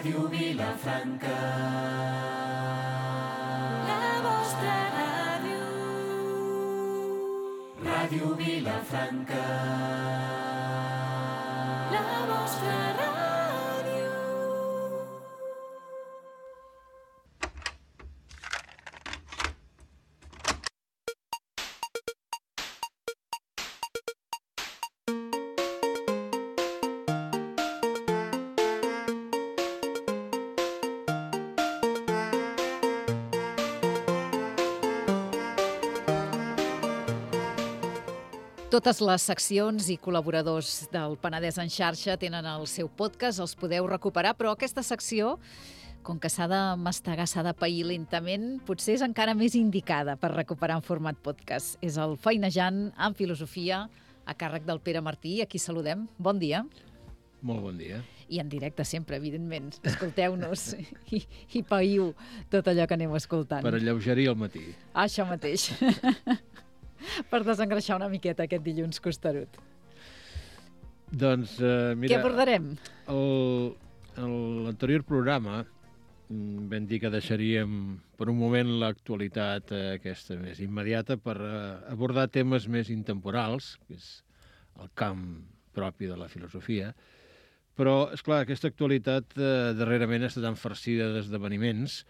Ràdio Vilafranca. La vostra ràdio. Ràdio Vilafranca. La vostra ràdio. Totes les seccions i col·laboradors del Penedès en xarxa tenen el seu podcast, els podeu recuperar, però aquesta secció, com que s'ha de mastegar, s'ha de pair lentament, potser és encara més indicada per recuperar en format podcast. És el Feinejant en Filosofia, a càrrec del Pere Martí, a qui saludem. Bon dia. Molt bon dia. I en directe sempre, evidentment. Escolteu-nos i païu tot allò que aneu escoltant. Per alleugerir el matí. Això mateix. Per desengreixar una miqueta aquest dilluns costerut. Doncs, mira... Què abordarem? L'anterior programa vam dir que deixaríem per un moment l'actualitat aquesta més immediata per abordar temes més intemporals, que és el camp propi de la filosofia. Però, esclar, aquesta actualitat darrerament està tan farcida d'esdeveniments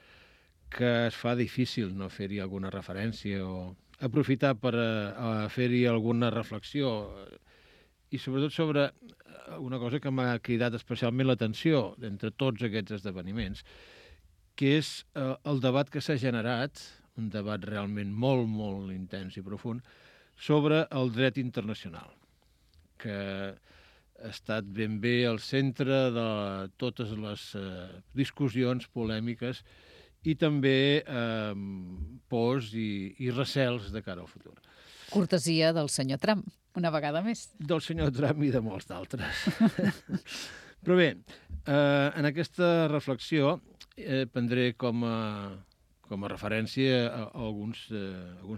que es fa difícil no fer-hi alguna referència o aprofitar per fer-hi alguna reflexió i sobretot sobre una cosa que m'ha cridat especialment l'atenció entre tots aquests esdeveniments, que és el debat que s'ha generat, un debat realment molt, molt intens i profund, sobre el dret internacional, que ha estat ben bé al centre de totes les discussions polèmiques i també pors i recels de cara al futur. Cortesia del senyor Trump, una vegada més. Del senyor Trump i de molts d'altres. Però bé, en aquesta reflexió prendré com a referència alguns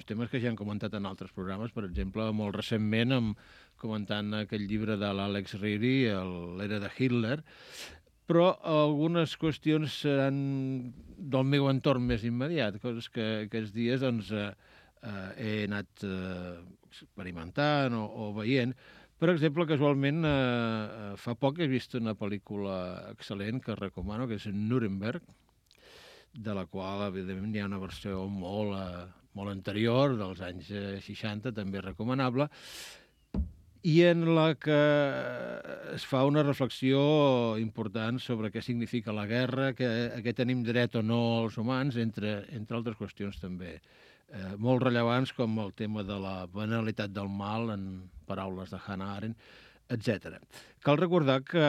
temes que ja han comentat en altres programes, per exemple, molt recentment comentant aquell llibre de l'Alex Reedy, l'era de Hitler, però algunes qüestions seran del meu entorn més immediat, coses que aquests dies doncs, he anat experimentant o veient. Per exemple, casualment, fa poc he vist una pel·lícula excel·lent que recomano, que és Nuremberg, de la qual, evidentment, hi ha una versió molt anterior, dels anys 60, també recomanable, i en la que es fa una reflexió important sobre què significa la guerra, a què tenim dret o no els humans, entre altres qüestions també molt rellevants, com el tema de la banalitat del mal, en paraules de Hannah Arendt, etc. Cal recordar que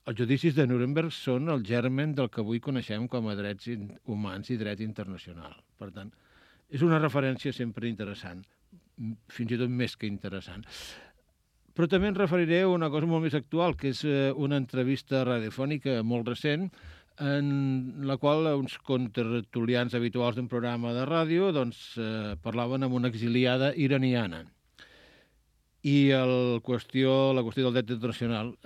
els judicis de Nuremberg són el germen del que avui coneixem com a drets humans i dret internacional. Per tant, és una referència sempre interessant, fins i tot més que interessant. Però també em referiré a una cosa molt més actual, que és una entrevista radiofònica molt recent, en la qual uns contertulians habituals d'un programa de ràdio parlaven amb una exiliada iraniana. I la qüestió del dret internacional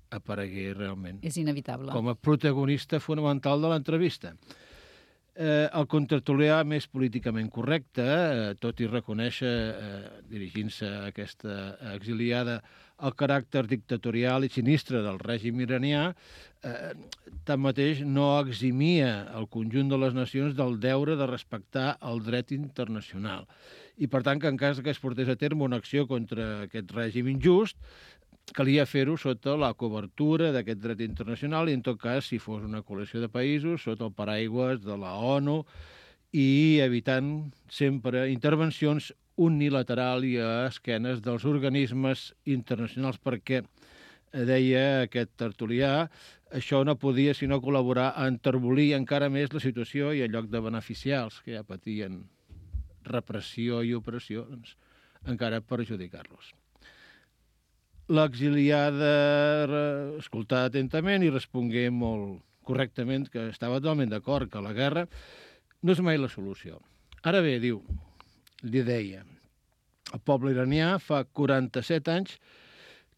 aparegué realment. És inevitable. Com a protagonista fonamental de l'entrevista. El contertulià més políticament correcte, tot i reconèixer, dirigint-se a aquesta exiliada, el caràcter dictatorial i sinistre del règim iranià, tanmateix no eximia el conjunt de les nacions del deure de respectar el dret internacional. I, per tant, que en cas que es portés a terme una acció contra aquest règim injust, calia fer-ho sota la cobertura d'aquest dret internacional i, en tot cas, si fos una coalició de països, sota el paraigües de la ONU i evitant sempre intervencions unilaterals i a esquenes dels organismes internacionals, perquè, deia aquest tertulià, això no podia sinó col·laborar a enterbolir encara més la situació i en lloc de beneficiar els que ja patien repressió i opressió, doncs, encara perjudicar-los. L'exiliada escoltà atentament i respongué molt correctament que estava totalment d'acord que la guerra no és mai la solució. Ara bé, li deia, el poble iranià fa 47 anys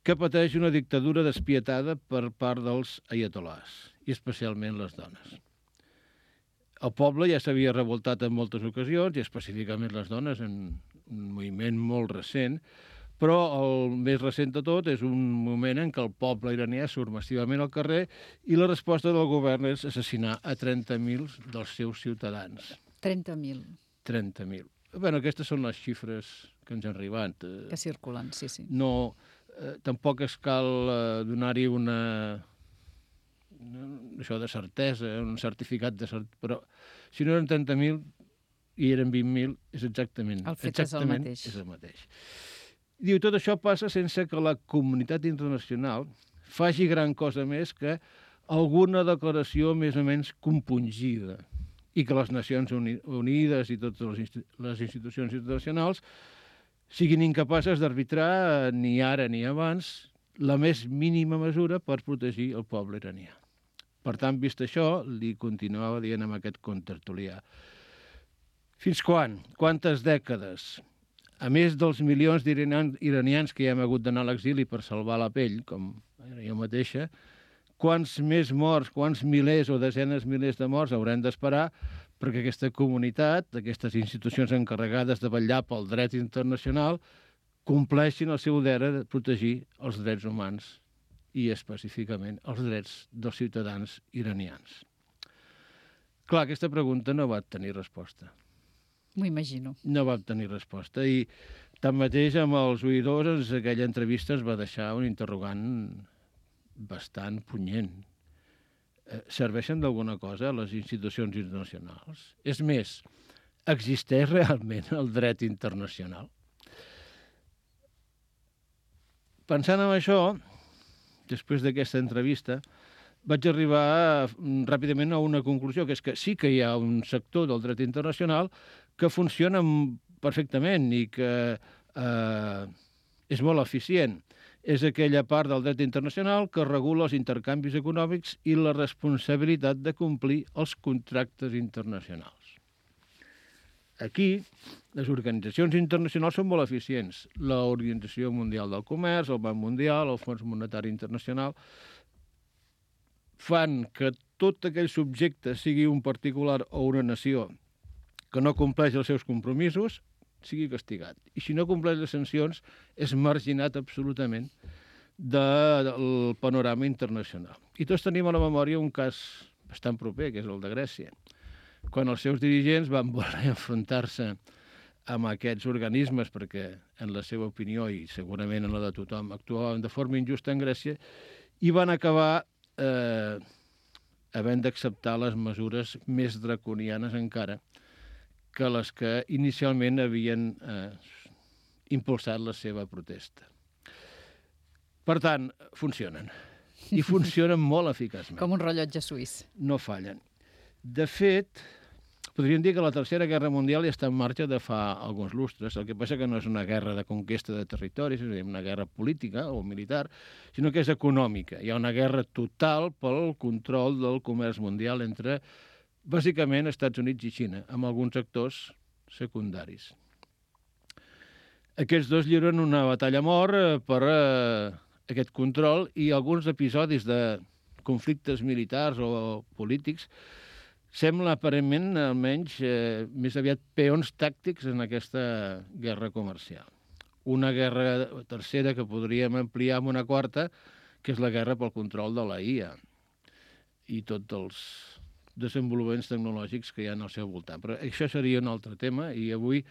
que pateix una dictadura despietada per part dels aiatolars, i especialment les dones. El poble ja s'havia revoltat en moltes ocasions, i específicament les dones, en un moviment molt recent, però el més recent de tot és un moment en què el poble iranià surt massivament al carrer i la resposta del govern és assassinar a 30.000 dels seus ciutadans. 30.000. 30.000. Bé, aquestes són les xifres que ens han arribat. Que circulen, sí. No, tampoc es cal donar-hi això de certesa, un certificat de certesa, però si no eren 30.000 i eren 20.000, és exactament el fet és el mateix. És el mateix. Diu, tot això passa sense que la comunitat internacional faci gran cosa més que alguna declaració més o menys compungida i que les Nacions Unides i totes les institucions internacionals siguin incapaces d'arbitrar ni ara ni abans la més mínima mesura per protegir el poble iranià. Per tant, vist això, li continuava dient amb aquest contertulià. Fins quan? Quantes dècades? A més dels milions d'iranians que ja hem hagut d'anar a l'exili per salvar la pell, com jo mateixa, quants més morts, quants milers o desenes milers de morts haurem d'esperar perquè aquesta comunitat, aquestes institucions encarregades de vetllar pel dret internacional, compleixin el seu deure de protegir els drets humans i específicament els drets dels ciutadans iranians. Clar, aquesta pregunta no va tenir resposta. M'ho imagino. No va tenir resposta i tanmateix amb els oïdors aquella entrevista es va deixar un interrogant bastant punyent. Serveixen d'alguna cosa les institucions internacionals? És més, existeix realment el dret internacional? Pensant en això, després d'aquesta entrevista, vaig arribar ràpidament a una conclusió, que és que sí que hi ha un sector del dret internacional que funciona perfectament i que és molt eficient. És aquella part del dret internacional que regula els intercanvis econòmics i la responsabilitat de complir els contractes internacionals. Aquí, les organitzacions internacionals són molt eficients. L'Organització Mundial del Comerç, el Banc Mundial, el Fons Monetari Internacional, fan que tot aquell subjecte, sigui un particular o una nació, que no compleix els seus compromisos, sigui castigat. I si no compleix les sancions, és marginat absolutament del panorama internacional. I tots tenim a la memòria un cas bastant proper, que és el de Grècia, quan els seus dirigents van voler enfrontar-se amb aquests organismes perquè, en la seva opinió i segurament en la de tothom, actuaven de forma injusta en Grècia i van acabar havent d'acceptar les mesures més draconianes encara que les que inicialment havien impulsat la seva protesta. Per tant, funcionen. I funcionen molt eficaçment. Com un rellotge suís. No fallen. De fet, podríem dir que la Tercera Guerra Mundial ja està en marxa de fa alguns lustres. El que passa que no és una guerra de conquesta de territoris, és una guerra política o militar, sinó que és econòmica. Hi ha una guerra total pel control del comerç mundial entre, bàsicament, Estats Units i Xina, amb alguns actors secundaris. Aquests dos lliuren una batalla a mort per aquest control i alguns episodis de conflictes militars o polítics sembla aparentment, almenys, més aviat peons tàctics en aquesta guerra comercial. Una guerra tercera que podríem ampliar amb una quarta, que és la guerra pel control de la IA i tots els desenvolupaments tecnològics que hi ha al seu voltant. Però això seria un altre tema i avui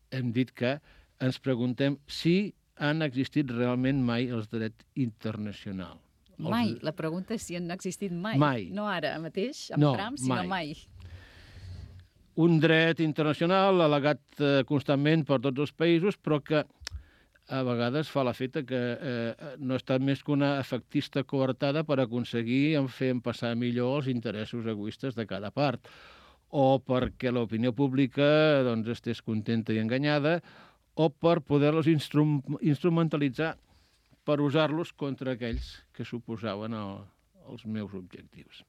hem dit que ens preguntem si han existit realment mai els drets internacionals. Mai. La pregunta és si han existit mai. Mai. No ara mateix, amb Trump, sinó mai. Un dret internacional al·legat constantment per tots els països, però que a vegades fa l'efecte que no ha estat més que una efectista coartada per aconseguir fer passar millor els interessos egoistes de cada part, o perquè l'opinió pública estés contenta i enganyada, o per poder-los instrumentalitzar per usar-los contra aquells que suposaven els meus objectius.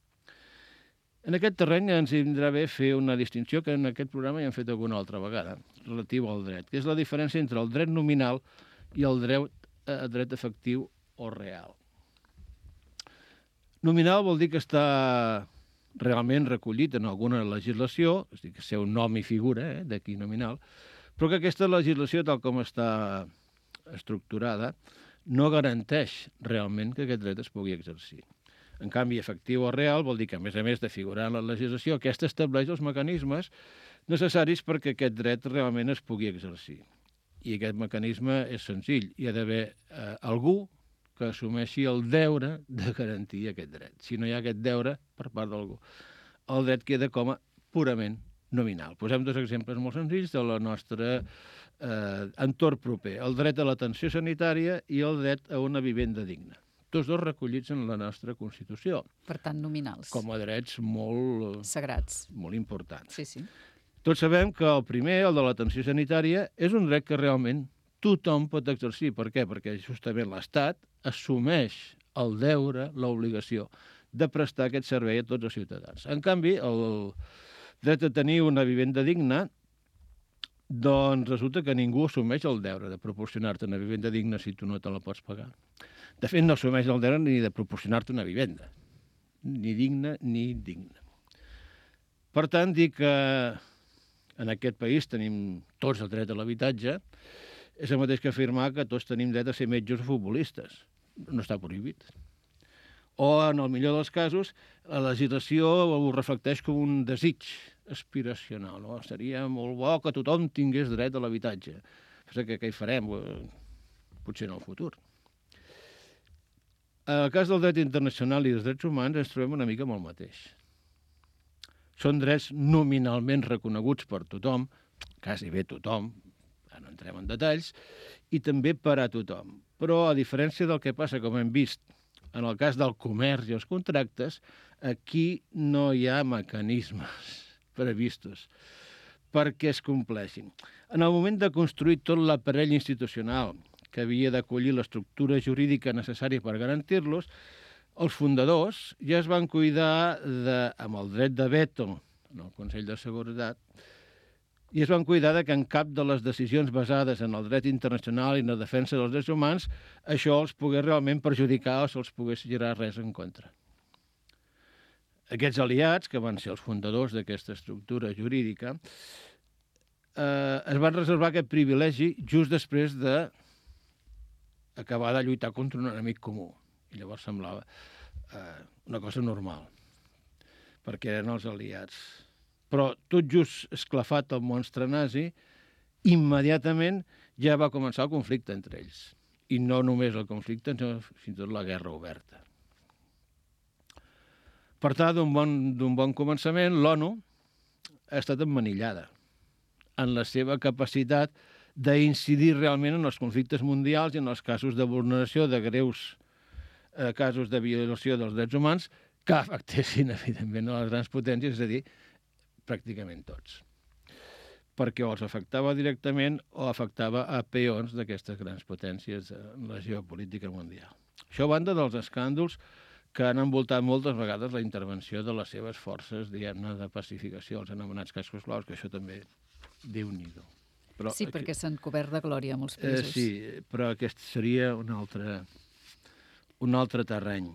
En aquest terreny ens vindrà bé fer una distinció que en aquest programa ja hem fet alguna altra vegada, relativa al dret, que és la diferència entre el dret nominal i el dret efectiu o real. Nominal vol dir que està realment recollit en alguna legislació, és a dir, que sé un nom i figura, d'aquí nominal, però que aquesta legislació, tal com està estructurada, no garanteix realment que aquest dret es pugui exercir. En canvi, efectiu o real vol dir que, a més de figurar en la legislació, aquesta estableix els mecanismes necessaris perquè aquest dret realment es pugui exercir. I aquest mecanisme és senzill. Hi ha d'haver algú que assumeixi el deure de garantir aquest dret. Si no hi ha aquest deure per part d'algú, el dret queda com a purament nominal. Posem dos exemples molt senzills del nostre entorn proper. El dret a l'atenció sanitària i el dret a una vivenda digna. Tots dos recollits en la nostra Constitució. Per tant, nominals. Com a drets molt... Sagrats. Molt importants. Sí, sí. Tots sabem que el primer, el de l'atenció sanitària, és un dret que realment tothom pot exercir. Per què? Perquè justament l'Estat assumeix el deure, l'obligació de prestar aquest servei a tots els ciutadans. En canvi, el dret a tenir una vivenda digna, doncs resulta que ningú assumeix el deure de proporcionar-te una vivenda digna si tu no te la pots pagar. De fet, no assumeix el deure ni de proporcionar-te una vivenda, ni digna ni digna. Per tant, dir que en aquest país tenim tots el dret a l'habitatge és el mateix que afirmar que tots tenim dret a ser metges o futbolistes. No està prohibit. O, en el millor dels casos, la legislació ho reflecteix com un desig aspiracional. No? Seria molt bo que tothom tingués dret a l'habitatge. Però què hi farem? Potser en el futur. En el cas del dret internacional i dels drets humans ens trobem una mica amb el mateix. Són drets nominalment reconeguts per tothom, quasi bé tothom, no entrem en detalls, i també per a tothom. Però, a diferència del que passa, com hem vist, en el cas del comerç i els contractes, aquí no hi ha mecanismes previstos perquè es compleixin. En el moment de construir tot l'aparell institucional que havia d'acollir l'estructura jurídica necessària per garantir-los, els fundadors ja es van cuidar amb el dret de veto en el Consell de Seguretat i es van cuidar que en cap de les decisions basades en el dret internacional i en la defensa dels drets humans això els pogués realment perjudicar o se'ls pogués girar res en contra. Aquests aliats, que van ser els fundadors d'aquesta estructura jurídica, es van reservar aquest privilegi just després d'acabar de lluitar contra un enemic comú. I llavors semblava una cosa normal, perquè eren els aliats. Però tot just esclafat el monstre nazi, immediatament ja va començar el conflicte entre ells. I no només el conflicte, sinó fins i tot la guerra oberta. Per tant, d'un bon començament, l'ONU ha estat emmanillada en la seva capacitat d'incidir realment en els conflictes mundials i en els casos de vulneració de greus casos de violació dels drets humans que afectessin, evidentment, a les grans potències, és a dir, pràcticament tots. Perquè o els afectava directament o afectava a peons d'aquestes grans potències en la geopolítica mundial. Això a banda dels escàndols que han envoltat moltes vegades la intervenció de les seves forces, diguem-ne, de pacificació, els anomenats cascos blaus, que això també Déu-n'hi-do. Sí, perquè s'han cobert de glòria molts països. Sí, però aquest seria un altre terreny.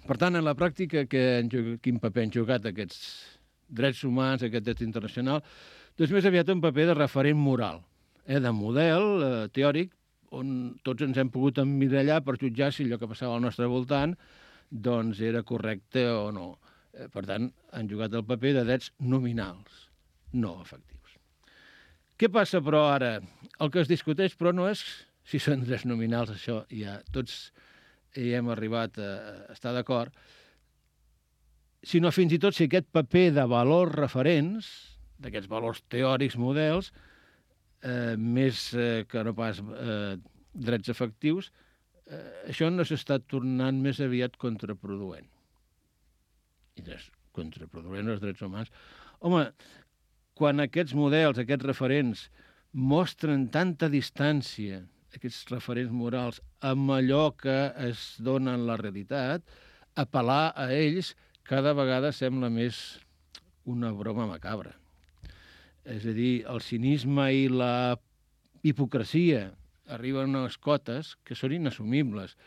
Per tant, en la pràctica, quin paper han jugat aquests drets humans, aquest dret internacional? Doncs més aviat un paper de referent moral, de model teòric, on tots ens hem pogut emmirallar per jutjar si allò que passava al nostre voltant doncs era correcte o no. Per tant, han jugat el paper de drets nominals, no efectius. Què passa, però, ara? El que es discuteix, però, no és si són drets nominals, això ja tots hi hem arribat a estar d'acord, sinó fins i tot si aquest paper de valors referents, d'aquests valors teòrics models, més que no pas drets efectius, això no s'està tornant més aviat contraproduent. I és contraproduent els drets humans. Home, quan aquests models, aquests referents, mostren tanta distància, aquests referents morals, amb allò que es dona en la realitat, apel·lar a ells cada vegada sembla més una broma macabra. És a dir, el cinisme i la hipocresia arriben a unes cotes que són inassumibles.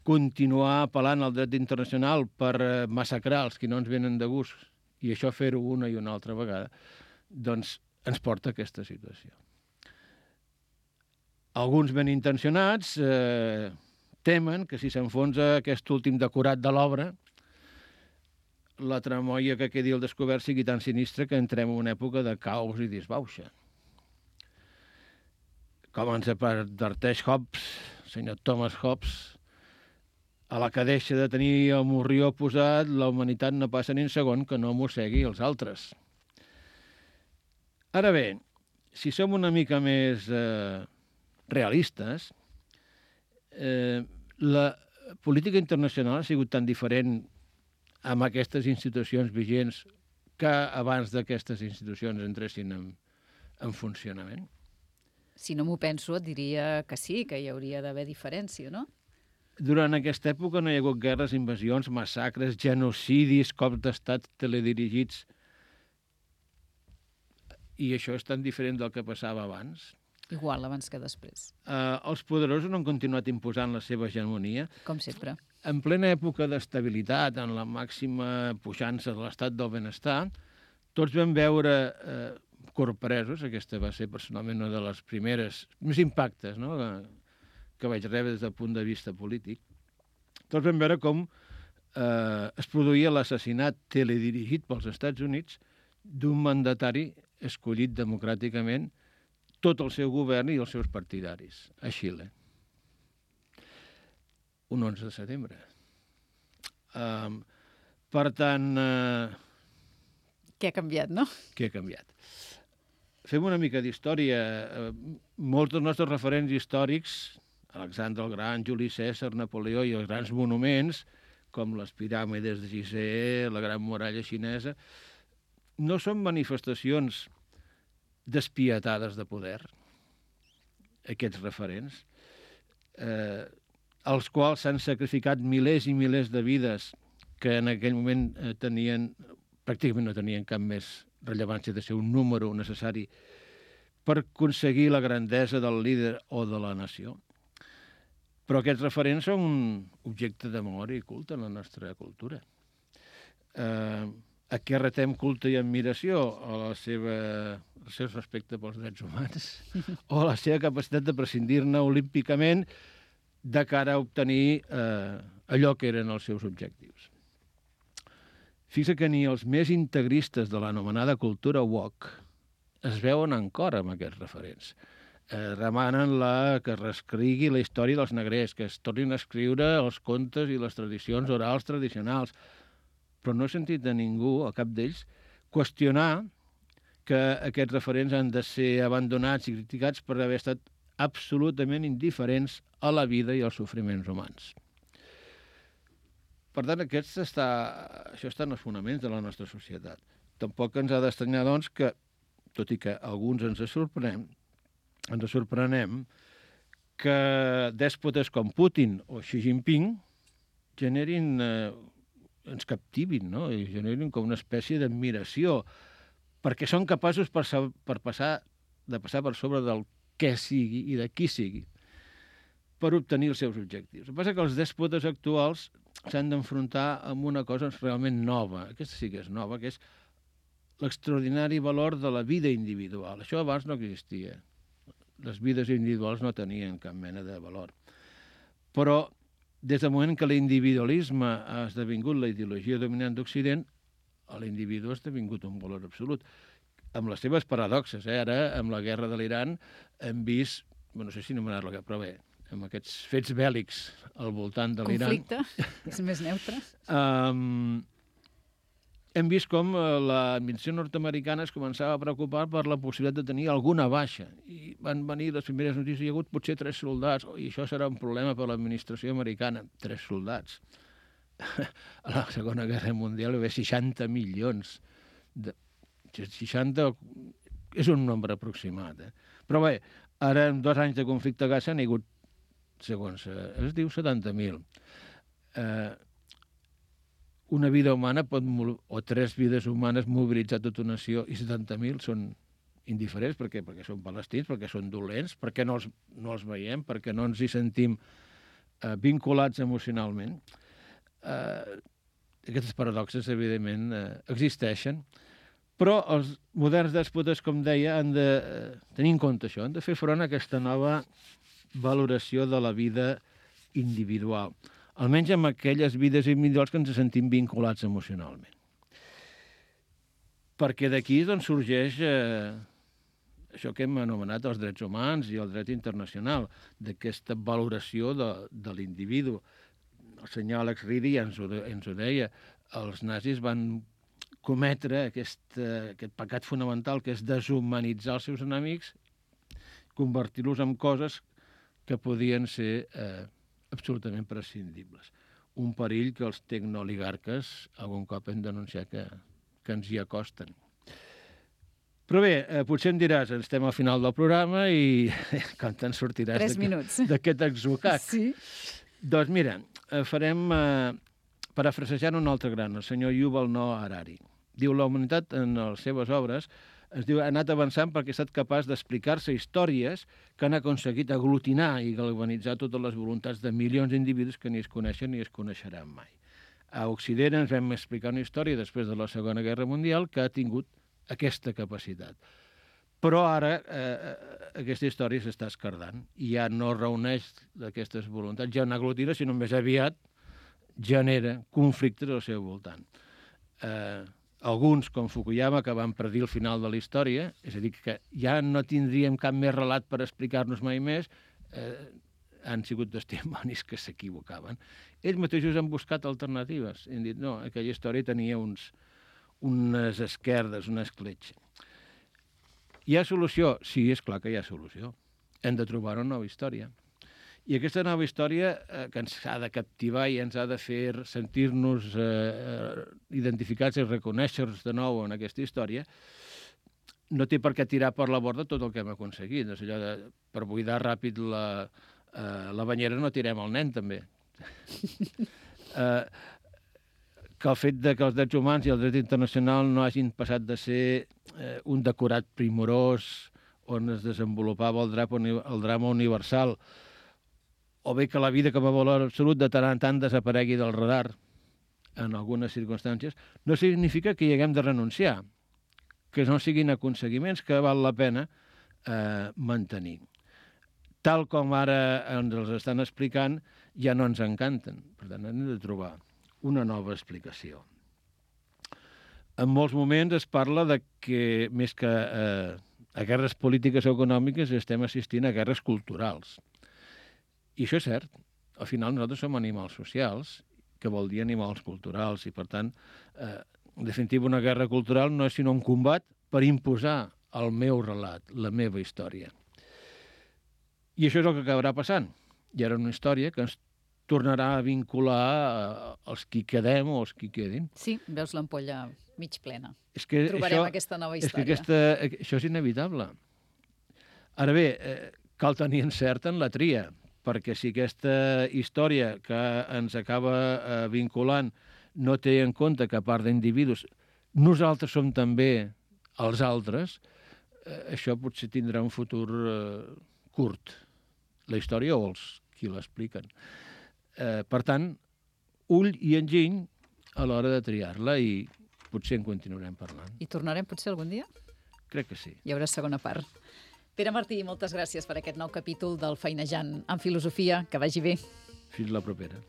Continuar apel·lant al dret internacional per massacrar els que no ens venen de gust i això fer-ho una i una altra vegada, doncs ens porta a aquesta situació. Alguns ben intencionats temen que si s'enfonsa aquest últim decorat de l'obra, la tramoia que quedi al descobert sigui tan sinistra que entrem en una època de caos i disbauxa. Com ens adverteix Hobbes, el senyor Thomas Hobbes, a la que deixa de tenir el morrió posat, la humanitat no passa ni un segon que no mossegui els altres. Ara bé, si som una mica més realistes, la política internacional ha sigut tan diferent amb aquestes institucions vigents que abans d'aquestes institucions entressin en funcionament. Si no m'ho penso, et diria que sí, que hi hauria d'haver diferència, no? Durant aquesta època no hi ha hagut guerres, invasions, massacres, genocidis, cops d'estat teledirigits. I això és tan diferent del que passava abans. Igual, abans que després. Els poderosos no han continuat imposant la seva hegemonia. Com sempre. En plena època d'estabilitat, en la màxima puixança de l'estat del benestar, tots vam veure corpresos, aquesta va ser personalment una de les primeres, més impactes, no?, que vaig rebre des del punt de vista polític. Tots vam veure com es produïa l'assassinat teledirigit pels Estats Units d'un mandatari escollit democràticament, tot el seu govern i els seus partidaris, a Xile. Un 11 de setembre. Per tant... Què ha canviat, no? Què ha canviat? Fem una mica d'història. Molts dels nostres referents històrics, Alexandre el Gran, Juli Cèsar, Napoleó i els grans monuments, com les piràmides de Gizeh, la Gran Muralla Xinesa, no són manifestacions despietades de poder, aquests referents, als quals s'han sacrificat milers i milers de vides que en aquell moment pràcticament no tenien cap més rellevància de ser un número necessari per aconseguir la grandesa del líder o de la nació. Però aquests referents són un objecte de memòria i culte en la nostra cultura. A què retem culte i admiració? El seu respecte pels drets humans o la seva capacitat de prescindir-ne olímpicament de cara a obtenir allò que eren els seus objectius. Fixa que ni els més integristes de l'anomenada cultura woke es veuen en cor amb aquests referents. Demanen que es reescrigui la història dels negrers, que es tornin a escriure els contes i les tradicions orals tradicionals. Però no he sentit a ningú, a cap d'ells, qüestionar que aquests referents han de ser abandonats i criticats per haver estat absolutament indiferents a la vida i als sofriments humans. Per tant, això està en els fonaments de la nostra societat. Tampoc ens ha d'estranyar, doncs, que, tot i que alguns ens sorprenem que dèspotes com Putin o Xi Jinping ens captivin, no? I generin com una espècie d'admiració, perquè són capaços de passar per sobre del què sigui i de qui sigui, per obtenir els seus objectius. El que passa és que els dèspotes actuals s'han d'enfrontar amb una cosa realment nova. Aquesta sí que és nova, que és l'extraordinari valor de la vida individual. Això abans no existia. Les vides individuals no tenien cap mena de valor. Però des del moment que l'individualisme ha esdevingut la ideologia dominant d'Occident, l'individu ha esdevingut un valor absolut, amb les seves paradoxes. Ara, amb la guerra de l'Iran, hem vist, no sé si anomenar-la, però bé, amb aquests fets bèl·lics al voltant de l'Iran... Conflicte, és més neutre. Hem vist com l'administració nord-americana es començava a preocupar per la possibilitat de tenir alguna baixa. I van venir les primeres notícies, hi ha hagut potser 3 soldats, i això serà un problema per l'administració americana. 3 soldats. A la Segona Guerra Mundial hi va haver 60 milions. 60 és un nombre aproximat. Però bé, ara en 2 anys de conflicte a Gaza n'hi ha hagut, segons es diu, 70.000. Una vida humana o 3 vides humanes mobilitzar tota una nació i 70.000 són indiferents, perquè són palestins, perquè són dolents, perquè no els veiem, perquè no ens hi sentim vinculats emocionalment. Aquestes paradoxes, evidentment, existeixen, però els moderns dèspotes, com deia, han de tenir en compte això, han de fer front a aquesta nova valoració de la vida individual, almenys amb aquelles vides individuals que ens sentim vinculats emocionalment. Perquè d'aquí doncs, sorgeix això que hem anomenat els drets humans i el dret internacional, d'aquesta valoració de l'individu. El senyor Alex Reedy ens ho deia, els nazis van cometre aquest pecat fonamental que és deshumanitzar els seus enemics, convertir-los en coses que podien ser absolutament prescindibles. Un perill que els tecnooligarques algun cop hem denunciat que ens hi acosten. Però bé, potser em diràs, estem al final del programa i com te'n sortiràs 3 minuts. d'aquest atzucac. Sí. Doncs mira, farem, parafrasejant un altre gran, el senyor Yuval Noah Harari. Diu, la humanitat en les seves obres ha anat avançant perquè ha estat capaç d'explicar-se històries que han aconseguit aglutinar i galvanitzar totes les voluntats de milions d'individus que ni es coneixen ni es coneixeran mai. A Occident ens vam explicar una història després de la Segona Guerra Mundial que ha tingut aquesta capacitat. Però ara aquesta història s'està escardant i ja no reuneix aquestes voluntats, ja no aglutina, sinó més aviat genera conflictes al seu voltant. Alguns, com Fukuyama, que van predir el final de la història, és a dir, que ja no tindríem cap més relat per explicar-nos mai més, han sigut testimonis que s'equivocaven. Ells mateixos han buscat alternatives. Han dit, no, aquella història tenia unes esquerdes, una escletxa. Hi ha solució? Sí, és clar que hi ha solució. Hem de trobar una nova història. I aquesta nova història que ens ha de captivar i ens ha de fer sentir-nos identificats i reconèixer-nos de nou en aquesta història, no té per què tirar per la borda tot el que hem aconseguit. És allò de, per buidar ràpid la banyera no tirem el nen, també. Que el fet de que els drets humans i el dret internacional no hagin passat de ser un decorat primorós on es desenvolupava el drama universal, o bé que la vida com a valor absolut de tant en tant desaparegui del radar en algunes circumstàncies, no significa que hi haguem de renunciar, que no siguin aconseguiments que val la pena mantenir. Tal com ara ens els estan explicant, ja no ens encanten. Per tant, hem de trobar una nova explicació. En molts moments es parla de que, més que a guerres polítiques o econòmiques, estem assistint a guerres culturals. I això és cert. Al final nosaltres som animals socials, que vol dir animals culturals, i per tant, en definitiva, una guerra cultural no és sinó un combat per imposar el meu relat, la meva història. I això és el que acabarà passant. Hi ha una història que ens tornarà a vincular els qui quedem o els qui quedin. Sí, veus l'ampolla mig plena. És que trobarem aquesta nova història. És que això és inevitable. Ara bé, cal tenir encert en la tria, perquè si aquesta història que ens acaba vinculant no té en compte que a part d'individus nosaltres som també els altres, això potser tindrà un futur curt. La història o els qui l'expliquen. Per tant, ull i enginy a l'hora de triar-la i potser en continuarem parlant. I tornarem potser algun dia? Crec que sí. Hi haurà segona part. Pere Martí, moltes gràcies per aquest nou capítol del Feinejant en Filosofia. Que vagi bé. Fins la propera.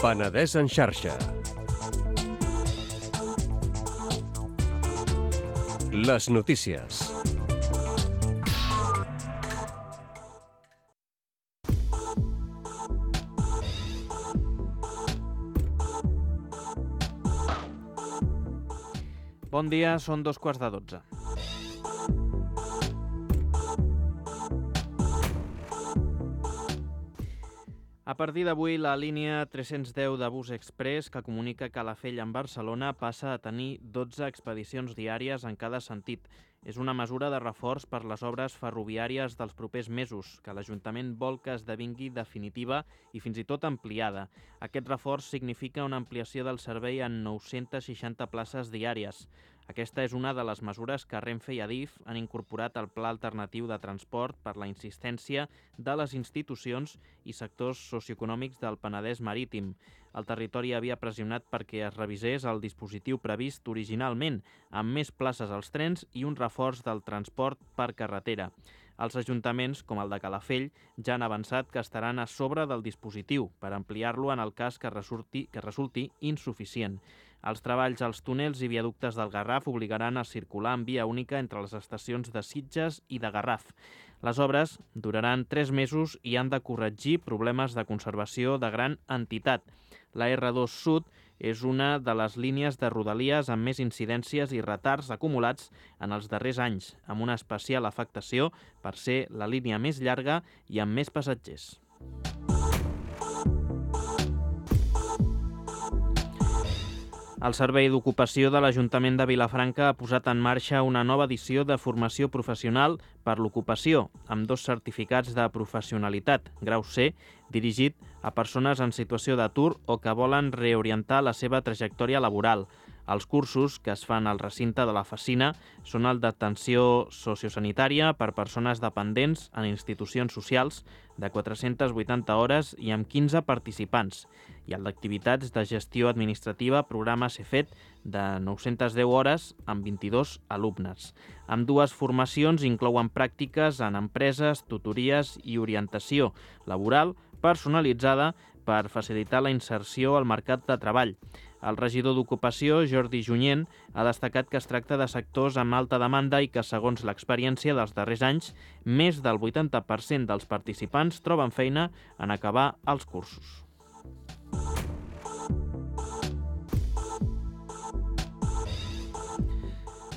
Penedès en xarxa. Les notícies. Bon dia, són 2:15. A partir d'avui, la línia 310 de Bus Express, que comunica Calafell amb Barcelona, passa a tenir 12 expedicions diàries en cada sentit. És una mesura de reforç per les obres ferroviàries dels propers mesos, que l'Ajuntament vol que esdevingui definitiva i fins i tot ampliada. Aquest reforç significa una ampliació del servei en 960 places diàries. Aquesta és una de les mesures que Renfe i Adif han incorporat al Pla Alternatiu de Transport per la insistència de les institucions i sectors socioeconòmics del Penedès Marítim. El territori havia pressionat perquè es revisés el dispositiu previst originalment, amb més places als trens i un reforç del transport per carretera. Els ajuntaments, com el de Calafell, ja han avançat que estaran a sobre del dispositiu per ampliar-lo en el cas que resulti insuficient. Els treballs als túnels i viaductes del Garraf obligaran a circular en via única entre les estacions de Sitges i de Garraf. Les obres duraran 3 mesos i han de corregir problemes de conservació de gran entitat. La R2 Sud és una de les línies de Rodalies amb més incidències i retards acumulats en els darrers anys, amb una especial afectació per ser la línia més llarga i amb més passatgers. El Servei d'Ocupació de l'Ajuntament de Vilafranca ha posat en marxa una nova edició de formació professional per l'ocupació, amb 2 certificats de professionalitat, grau C, dirigit a persones en situació d'atur o que volen reorientar la seva trajectòria laboral. Els cursos que es fan al recinte de la Facina són el d'atenció sociosanitària per persones dependents en institucions socials de 480 hores i amb 15 participants, i el d'activitats de gestió administrativa programa CEFET de 910 hores amb 22 alumnes. Ambdues formacions inclouen pràctiques en empreses, tutories i orientació laboral personalitzada per facilitar la inserció al mercat de treball. El regidor d'Ocupació, Jordi Junyent, ha destacat que es tracta de sectors amb alta demanda i que, segons l'experiència dels darrers anys, més del 80% dels participants troben feina en acabar els cursos.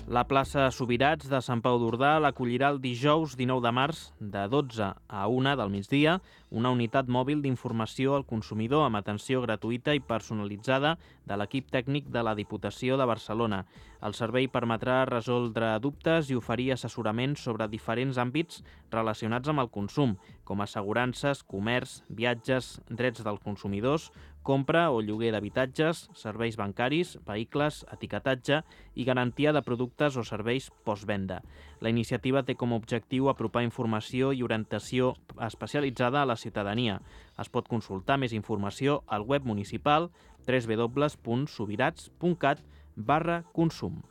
La plaça Subirats de Sant Pau d'Ordà l'acollirà el dijous 19 de març de 12 a 1 del migdia una unitat mòbil d'informació al consumidor amb atenció gratuïta i personalitzada de l'equip tècnic de la Diputació de Barcelona. El servei permetrà resoldre dubtes i oferir assessorament sobre diferents àmbits relacionats amb el consum, com assegurances, comerç, viatges, drets dels consumidors, compra o lloguer d'habitatges, serveis bancaris, vehicles, etiquetatge i garantia de productes o serveis postvenda. La iniciativa té com a objectiu apropar informació i orientació especialitzada a la ciutadania. Es pot consultar més informació al web municipal www.subirats.cat/consum.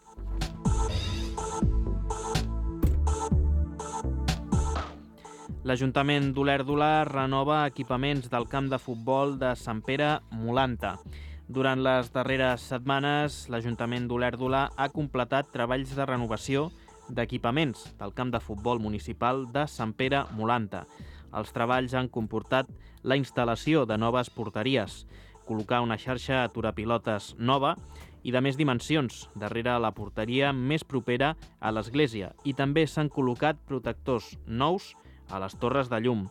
L'Ajuntament d'Olèrdola renova equipaments del camp de futbol de Sant Pere Molanta. Durant les darreres setmanes, l'Ajuntament d'Olèrdola ha completat treballs de renovació d'equipaments del camp de futbol municipal de Sant Pere Molanta. Els treballs han comportat la instal·lació de noves porteries, col·locar una xarxa aturapilotes nova i de més dimensions darrere la porteria més propera a l'església, i també s'han col·locat protectors nous a les torres de llum.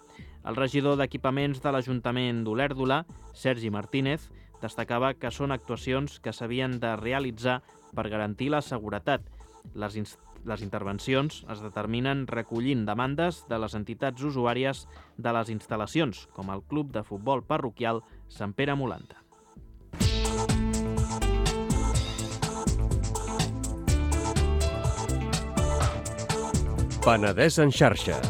El regidor d'Equipaments de l'Ajuntament d'Olèrdola, Sergi Martínez, destacava que són actuacions que s'havien de realitzar per garantir la seguretat. Les intervencions es determinen recollint demandes de les entitats usuàries de les instal·lacions, com el Club de Futbol Parroquial Sant Pere Molanta. Penedès en xarxa.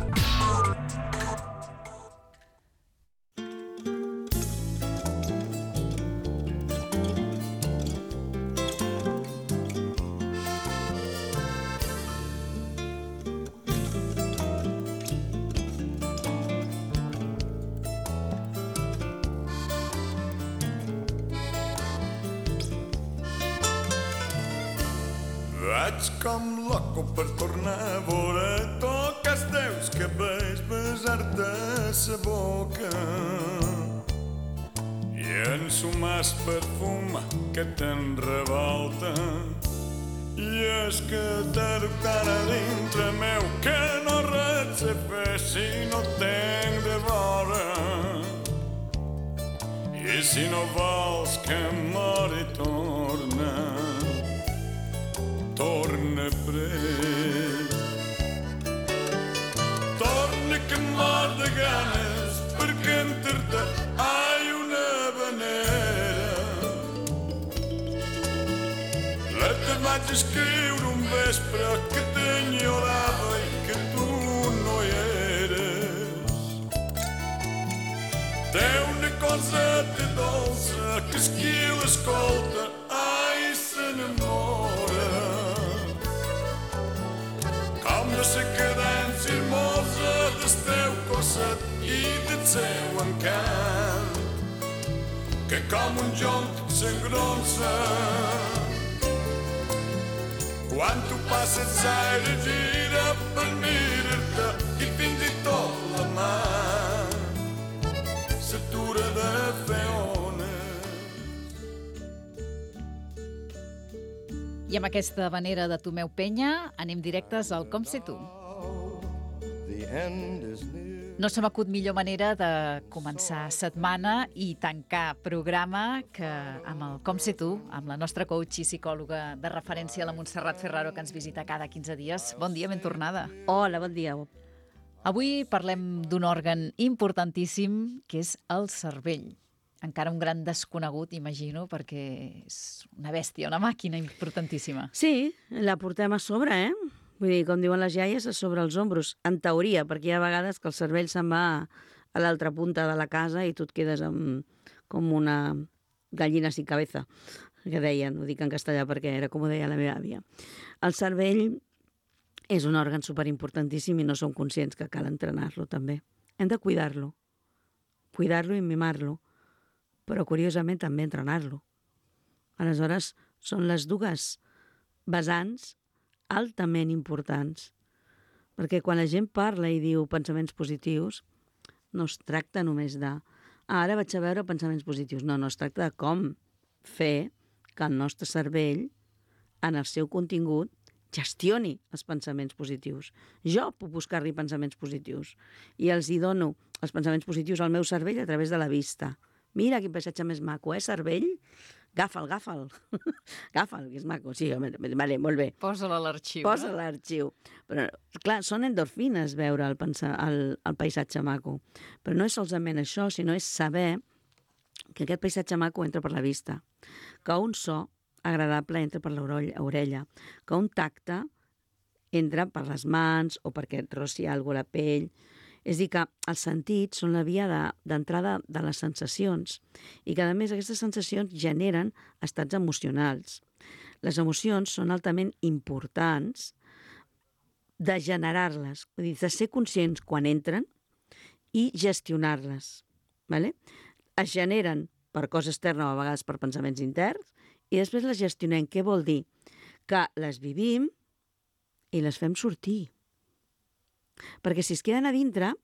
Vaig com loco per tornar a veure toques teus que veig besar-te sa boca i ensumar el perfum que te'n revolta. I és que t'he dubtat a dintre meu que no res se fer si no tenc de vora. si no vols que mori torna prest. Torna que mor de ganes perquè entre-te hi una venera. Te vaig escriure un vespre que t'enyorava i que tu no hi eres. Té una coseta dolça que és qui l'escolta, ai, s'enamora. Com la cadència hermosa del teu cosset i del seu encant, que com un jonc s'engronsa quan tu passes l'aire, gira per mirar-te i fins i tot la mà s'atura de fer ones. I amb aquesta vanera de Tomeu Penya anem directes al Com sé tu. No se m'acut millor manera de començar setmana i tancar programa que amb el Com sé tu, amb la nostra coach i psicòloga de referència, la Montserrat Ferraro, que ens visita cada 15 dies. Bon dia, ben tornada. Hola, bon dia. Avui parlem d'un òrgan importantíssim, que és el cervell. Encara un gran desconegut, imagino, perquè és una bèstia, una màquina importantíssima. Sí, la portem a sobre, eh? Vull dir, com diuen les iaies, a sobre els ombros, en teoria, perquè hi ha vegades que el cervell se'n va a l'altra punta de la casa i tu et quedes amb, com una gallina sin cabeza, que deien, ho dic en castellà perquè era com ho deia la meva àvia. El cervell és un òrgan superimportantíssim i no som conscients que cal entrenar-lo també. Hem de cuidar-lo i mimar-lo, però curiosament també entrenar-lo. Aleshores, són les dues vessants altament importants, perquè quan la gent parla i diu pensaments positius, no es tracta només de ara vaig a veure pensaments positius. No, es tracta de com fer que el nostre cervell, en el seu contingut, gestioni els pensaments positius. Jo puc buscar-li pensaments positius i els hi dono els pensaments positius al meu cervell a través de la vista. Mira quin paisatge més maco, cervell? Agafa'l. Agafa'l, que és maco. Sí, vale, molt bé. Posa-la a l'arxiu. Posa-la a l'arxiu. Però, clar, són endorfines veure el paisatge maco. Però no és solament això, sinó és saber que aquest paisatge maco entra per la vista, que un so agradable entra per l'orella, que un tacte entra per les mans o perquè et rossi alguna cosa a la pell. És a dir, que els sentits són la via d'entrada de les sensacions i que, a més, aquestes sensacions generen estats emocionals. Les emocions són altament importants de generar-les, vull dir, de ser conscients quan entren i gestionar-les. ¿Vale? Es generen per cosa externa o a vegades per pensaments interns i després les gestionem. Què vol dir? Que les vivim i les fem sortir. Perquè si es queden a dintre,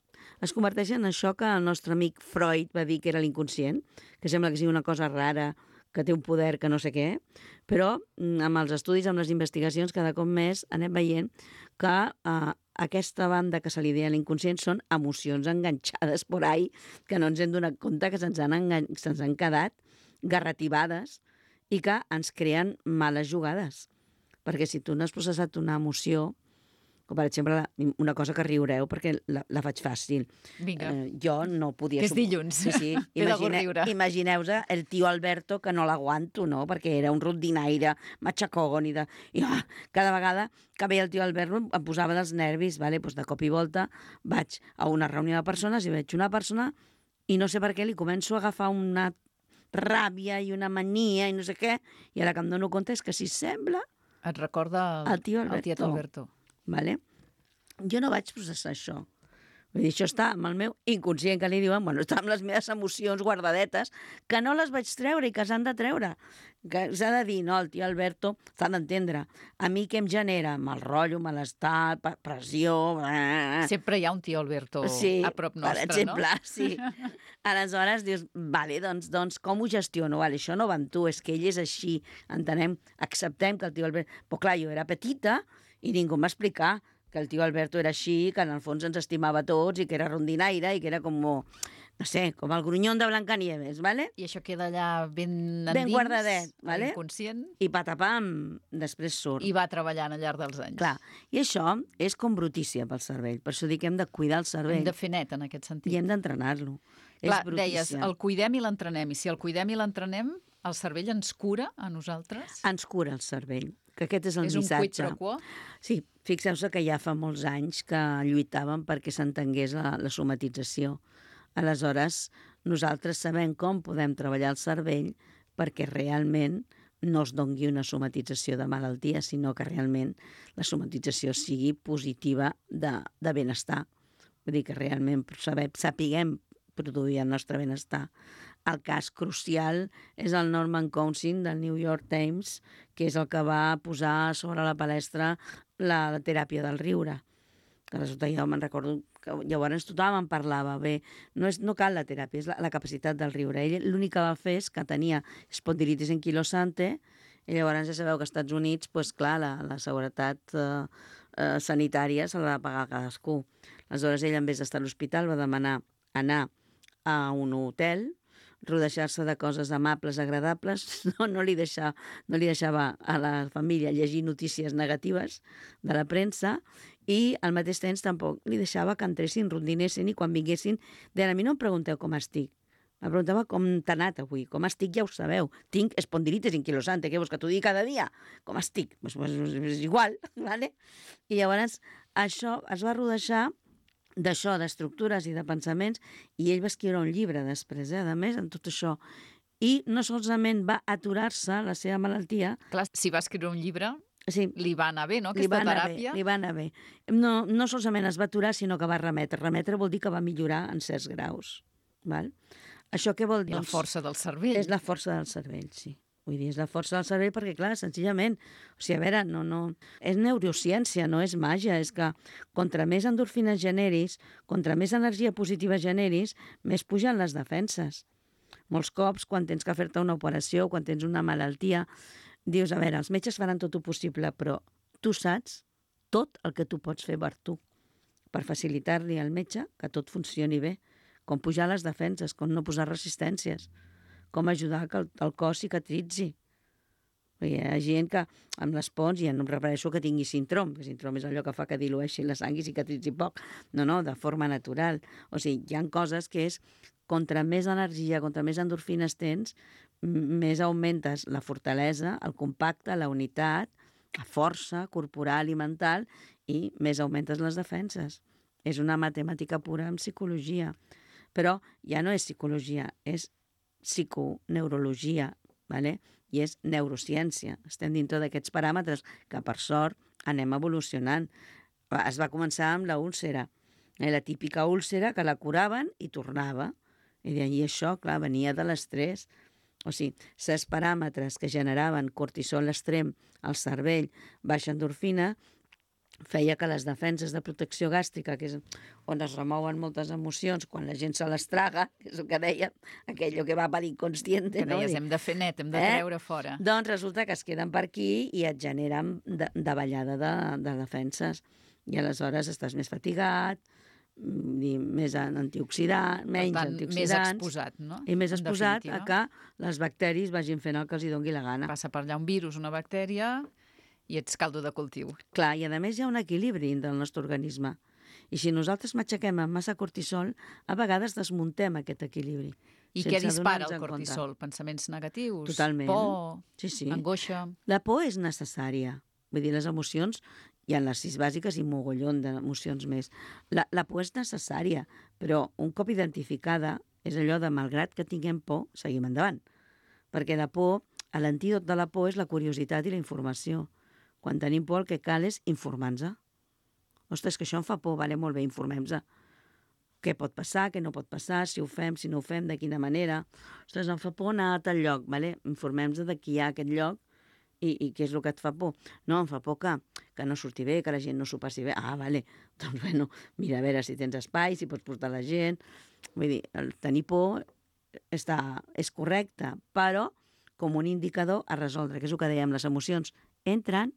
es converteixen en això que el nostre amic Freud va dir que era l'inconscient, que sembla que sigui una cosa rara, que té un poder que no sé què, però amb els estudis, amb les investigacions, cada cop més anem veient que aquesta banda que se li deia l'inconscient són emocions enganxades por ahí, que no ens hem donat compte que se'ns han quedat garrativades i que ens creen males jugades. Perquè si tu no has processat una emoció, com per exemple una cosa que riureu perquè la faig fàcil. Vinga. Jo no podia... Que és dilluns. Sí. Imagineu-vos el tio Alberto, que no l'aguanto, no? Perquè era un rondinaire, matxacògon, i cada vegada que veia el tio Alberto em posava dels nervis, vale? Pues de cop i volta vaig a una reunió de persones i veig una persona i no sé per què li començo a agafar una ràbia i una mania i no sé què, i ara que em dono compte és que si sembla... Et recorda el tiet Alberto. Vale? Jo no vaig processar això. Vull dir, això està amb el meu inconscient, que li diuen, bueno, està amb les meves emocions guardadetes, que no les vaig treure i que s'han de treure. Que s'ha de dir, no, el tio Alberto s'ha d'entendre. A mi què em genera? Mal rotllo, malestar, pressió... Sempre hi ha un tio Alberto a prop nostre, per exemple, no? Sí. Aleshores dius, vale, doncs com ho gestiono? Vale, això no va amb tu, és que ell és així, entenem, acceptem que el tio Alberto... Però clar, jo era petita i ningú em va explicar que el tio Alberto era així, que en el fons ens estimava tots i que era rondinaire i que era com... no sé, com el grunyón de Blancanieves, ¿vale? I això queda allà ben endins, Ben guardadet, a vale? l'inconscient, I patapam, després surt. i va treballant al llarg dels anys. Clar, i això és com brutícia pel cervell. Per això dic que hem de cuidar el cervell Hem de fer net, en aquest sentit. i hem d'entrenar-lo. Clar, És deies, brutícia. el cuidem i l'entrenem. I si el cuidem i l'entrenem, el cervell ens cura a nosaltres? Ens cura el cervell, que aquest és el És un quid missatge. pro quo? Sí, fixeu-se que ja fa molts anys que lluitàvem perquè s'entengués la somatització. Aleshores, nosaltres sabem com podem treballar el cervell perquè realment no es dongui una somatització de malaltia, sinó que realment la somatització sigui positiva de benestar. Vull dir que realment sapiguem produir el nostre benestar. El cas crucial és el Norman Cousins del New York Times, que és el que va posar sobre la palestra la teràpia del riure. Que resulta, jo me'n recordo que llavors tothom en parlava. Bé, no cal la teràpia, és la capacitat del riure. Ell l'únic que va fer és que tenia espondilitis anquilosante, i llavors ja sabeu que als Estats Units, doncs clar, la seguretat sanitària se l'ha de pagar a cadascú. Aleshores, ell, en vez d'estar a l'hospital, va demanar anar a un hotel, rodejar-se de coses amables, agradables, no li deixava a la família llegir notícies negatives de la premsa i al mateix temps tampoc li deixava que entressin, rondinessin i quan vinguessin deien, a mi no em pregunteu com estic. Me preguntava com t'ha anat avui, com estic ja ho sabeu. Tinc espondilitis anquilosante, què vols que t'ho digui cada dia? Com estic? Pues és igual, ¿vale? I llavors això es va rodejar d'això, d'estructures i de pensaments, i ell va escriure un llibre després, a més, en tot això. I no solament va aturar-se la seva malaltia... Clar, si va escriure un llibre, sí, li va anar bé, no?, aquesta teràpia. Li va anar bé. No solament es va aturar, sinó que va remetre. Remetre vol dir que va millorar en certs graus. Val? Això què vol dir? I la força del cervell. És la força del cervell, sí. Vull dir, és la força del cervell perquè, clar, senzillament, o sigui, a veure, no... És neurociència, no és màgia, és que contra més endorfines generis, contra més energia positiva generis, més pugen les defenses. Molts cops, quan tens que fer-te una operació, quan tens una malaltia, dius, a veure, els metges faran tot el possible, però tu saps tot el que tu pots fer per tu, per facilitar-li al metge que tot funcioni bé, com pujar les defenses, com no posar resistències, com ajudar que el cos cicatritzi. Hi ha gent que amb les pons, ja no em refereixo que tingui síndrom, que síndrom és allò que fa que dilueixi la sang i cicatritzi poc. No, de forma natural. O sigui, hi ha coses que és, contra més energia, contra més endorfines tens, més augmentes la fortalesa, el compacte, la unitat, la força corporal i mental, i més augmentes les defenses. És una matemàtica pura en psicologia. Però ja no és psicologia, és psiconeurologia, ¿vale? I és neurociència. Estem dintre d'aquests paràmetres que, per sort, anem evolucionant. Es va començar amb la úlcera, la típica úlcera que la curaven i tornava. I això, clar, venia de l'estrès. O sigui, certs paràmetres que generaven cortisol extrem al cervell, baixa endorfina, feia que les defenses de protecció gàstrica, que és on es remouen moltes emocions, quan la gent se les traga, que és el que deia, aquello que va per inconscient. Que deies, hem de fer net, hem de treure fora. Doncs resulta que es queden per aquí i et generen davallada de defenses. I aleshores estàs més fatigat, més antioxidant, menys per tant, antioxidants. Més exposat, no? I més exposat a que les bacteris vagin fent el que els hi doni la gana. Passa per allà un virus, una bactèria, i ets caldo de cultiu. Clar, i a més hi ha un equilibri del nostre organisme. I si nosaltres matxaquem amb massa cortisol, a vegades desmuntem aquest equilibri. I què dispara el cortisol? Pensaments negatius? Totalment. Por? Sí. Angoixa? La por és necessària. Vull dir, les emocions, hi ha les 6 bàsiques i mogollon d'emocions més. La por és necessària, però un cop identificada és allò de, malgrat que tinguem por, seguim endavant. Perquè la por, l'antídot de la por és la curiositat i la informació. Quan tenim por, el que cal és informar-nos. Ostres, que això em fa por, vale, molt bé, informem-nos. Què pot passar, què no pot passar, si ho fem, si no ho fem, de quina manera. Ostres, em fa por anar a tal lloc, vale? Informem-nos de qui hi ha aquest lloc i què és el que et fa por. No, em fa por que no surti bé, que la gent no s'ho passi bé. Ah, vale, doncs bueno, mira a veure si tens espai, si pots portar la gent. Vull dir, el tenir por és correcte, però com un indicador a resoldre, que és el que dèiem, les emocions entren,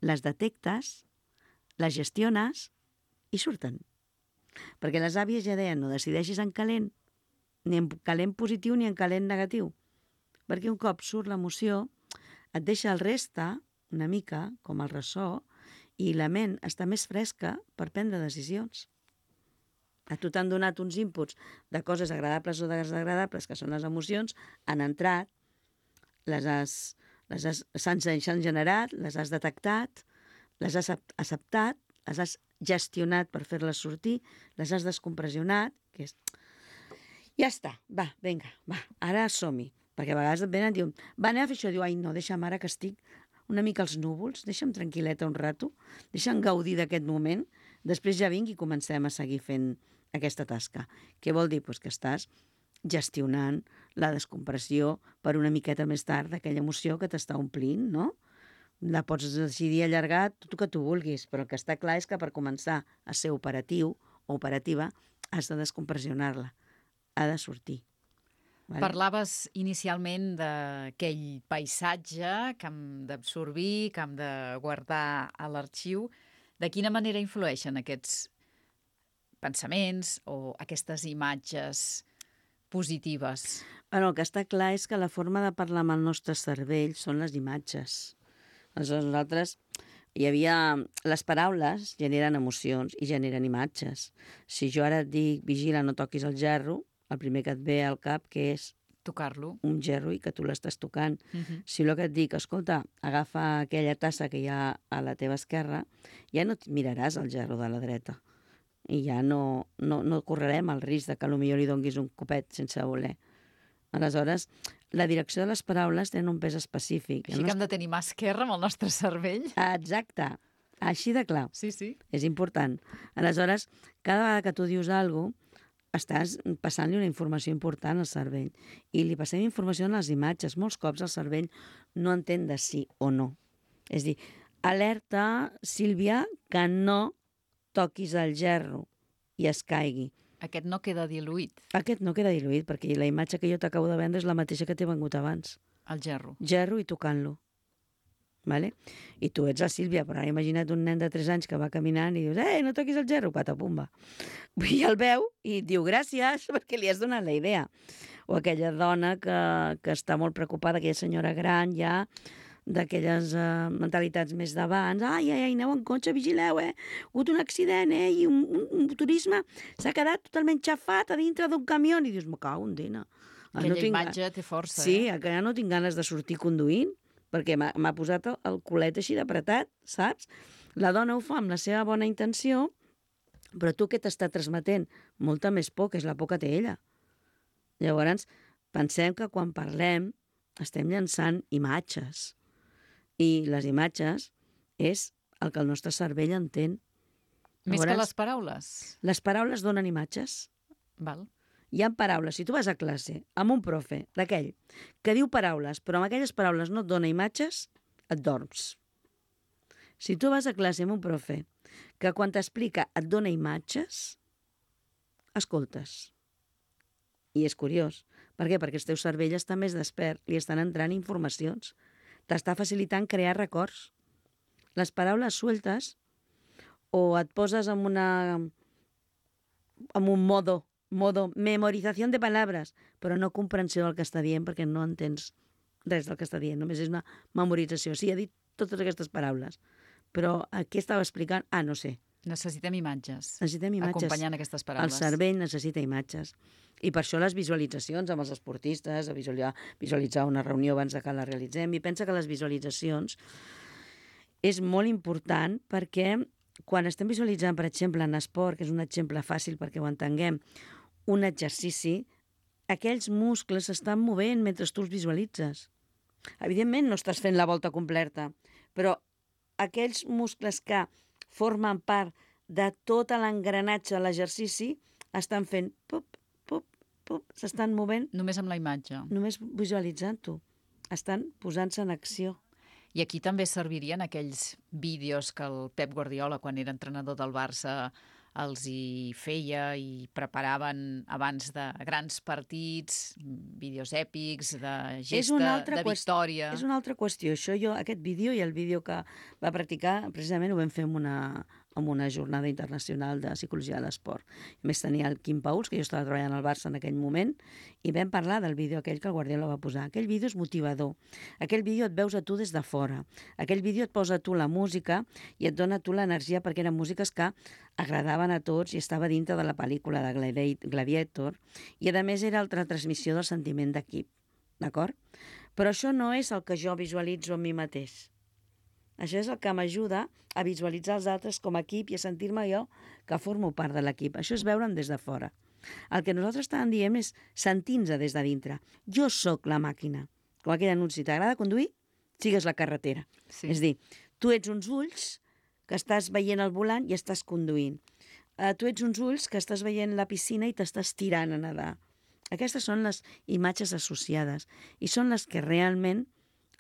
les detectes, les gestiones i surten. Perquè les àvies ja deien, no decideixis en calent ni en calent positiu ni en calent negatiu. Perquè un cop surt l'emoció, et deixa el reste, una mica, com el ressò, i la ment està més fresca per prendre decisions. A tu t'han donat uns inputs de coses agradables o desagradables, que són les emocions, han entrat, s'han generat, les has detectat, les has acceptat, les has gestionat per fer-les sortir, les has descompressionat, que és... Ja està, va, vinga, va, ara som-hi. Perquè a vegades et venen i diuen, va, anem a fer això. Diu, ai, no, deixa'm ara que estic una mica als núvols, deixa'm tranquil·leta un rato, deixa'm gaudir d'aquest moment, després ja vinc i comencem a seguir fent aquesta tasca. Què vol dir? Pues que estàs gestionant la descompressió per una miqueta més tard d'aquella emoció que t'està omplint, no? La pots decidir allargar tot el que tu vulguis, però el que està clar és que per començar a ser operatiu o operativa has de descompressionar-la, ha de sortir. Vale? Parlaves inicialment d'aquell paisatge que hem d'absorbir, que hem de guardar a l'arxiu. De quina manera influeixen aquests pensaments o aquestes imatges positives? Bueno, el que està clar és que la forma de parlar amb el nostre cervell són les imatges. Aleshores, nosaltres hi havia... Les paraules generen emocions i generen imatges. Si jo ara et dic, vigila, no toquis el gerro, el primer que et ve al cap que és Tocar-lo. un gerro i que tu l'estàs tocant. Si el que et dic, escolta, agafa aquella tassa que hi ha a la teva esquerra, ja no et miraràs el gerro de la dreta. I ja no correrem el risc de que potser li donguis un copet sense voler. Aleshores, la direcció de les paraules té un pes específic. Així que hem de tenir mà esquerra amb el nostre cervell. Exacte, així de clar. Sí, sí. És important. Aleshores, cada vegada que tu dius alguna cosa, estàs passant-li una informació important al cervell. I li passem informació en les imatges. Molts cops el cervell no entén de sí o no. És dir, alerta, Sílvia, que no toquis el gerro i es caigui. Aquest no queda diluït, Aquest no queda diluït, perquè la imatge que jo t'acabo de vendre és la mateixa que t'he vengut abans. el gerro. Gerro i tocant-lo. Vale? I tu ets la Sílvia, però ara imagina't un nen de 3 anys que va caminant i dius, no toquis el gerro, patapumba. I el veu i et diu gràcies perquè li has donat la idea. O aquella dona que està molt preocupada, aquella senyora gran ja, d'aquelles mentalitats més d'abans. Ai, aneu en cotxe, vigileu, ha hagut un accident, i un turisme s'ha quedat totalment xafat a dintre d'un camió. I dius, me cago en dina. Aquella imatge té força, Sí, que ja no tinc ganes de sortir conduint, perquè m'ha posat el culet així d'apretat, saps? La dona ho fa amb la seva bona intenció, però tu què t'està transmetent? Molta més por, que és la por que té ella. Llavors, pensem que quan parlem estem llançant imatges. I les imatges és el que el nostre cervell entén. Més que Llavors, les paraules. les paraules donen imatges. Val. Hi ha paraules, si tu vas a classe amb un profe d'aquell que diu paraules, però amb aquelles paraules no et dona imatges, et dorms. Si tu vas a classe amb un profe que quan t'explica et dona imatges, escoltes. I és curiós. Per què? Perquè el teu cervell està més despert, li estan entrant informacions. T'està facilitant crear records. Les paraules sueltes o et poses en un modo memorizació de paraules, però no comprensió del que està dient perquè no entens res del que està dient, només és una memorització. Sí, ha dit totes aquestes paraules, però què estava explicant? No sé. Necessitem imatges. Necessitem imatges. Acompanyant aquestes El paraules. cervell necessita imatges. I per això les visualitzacions amb els esportistes, a visualitzar una reunió abans que la realitzem, i pensa que les visualitzacions és molt important perquè quan estem visualitzant, per exemple, en esport, que és un exemple fàcil perquè ho entenguem, un exercici, aquells muscles s'estan movent mentre tu els visualitzes. Evidentment no estàs fent la volta completa, però aquells muscles que formen part de tot l'engranatge de l'exercici estan fent pup, pup, pup, s'estan movent Només amb la imatge. només visualitzant-ho. Estan posant-se en acció. I aquí també servirien aquells vídeos que el Pep Guardiola, quan era entrenador del Barça, els hi feia i preparaven abans de grans partits, vídeos èpics, de gesta, de victòria. És una altra qüestió. Aquest vídeo i el vídeo que va practicar, precisament ho vam fer amb en una jornada internacional de psicologia de l'esport. A més, tenia el Quim Pauls, que jo estava treballant al Barça en aquell moment, i vam parlar del vídeo aquell que el Guardiola va posar. Aquell vídeo és motivador. Aquell vídeo et veus a tu des de fora. Aquell vídeo et posa a tu la música i et dona a tu l'energia, perquè eren músiques que agradaven a tots i estava dintre de la pel·lícula de Gladiator, i a més era la transmissió del sentiment d'equip. D'acord? Però això no és el que jo visualitzo en mi mateix. Això és el que m'ajuda a visualitzar els altres com a equip i a sentir-me jo que formo part de l'equip. Això és veure'm des de fora. El que nosaltres estàvem dient és sentir-nos des de dintre. Jo sóc la màquina. Com aquell anunci, t'agrada conduir? Sigues la carretera. Sí. És dir, tu ets uns ulls que estàs veient el volant i estàs conduint. Tu ets uns ulls que estàs veient la piscina i t'estàs tirant a nedar. Aquestes són les imatges associades i són les que realment